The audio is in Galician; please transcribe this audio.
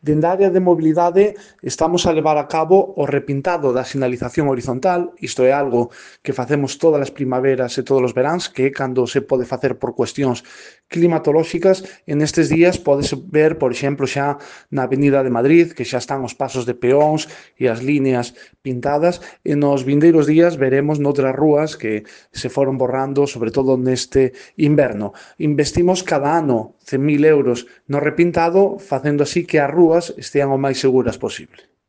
Dende a área de mobilidade estamos a levar a cabo o repintado da sinalización horizontal, isto é algo que facemos todas as primaveras e todos os veráns, que é cando se pode facer por cuestións climatolóxicas. En estes días podese ver, por exemplo, xa na Avenida de Madrid, que xa están os pasos de peóns e as líneas pintadas, e nos vindeiros días veremos noutras rúas que se foron borrando, sobre todo neste inverno. Investimos cada ano 100.000 euros no repintado, facendo así que as rúas estean o máis seguras posible.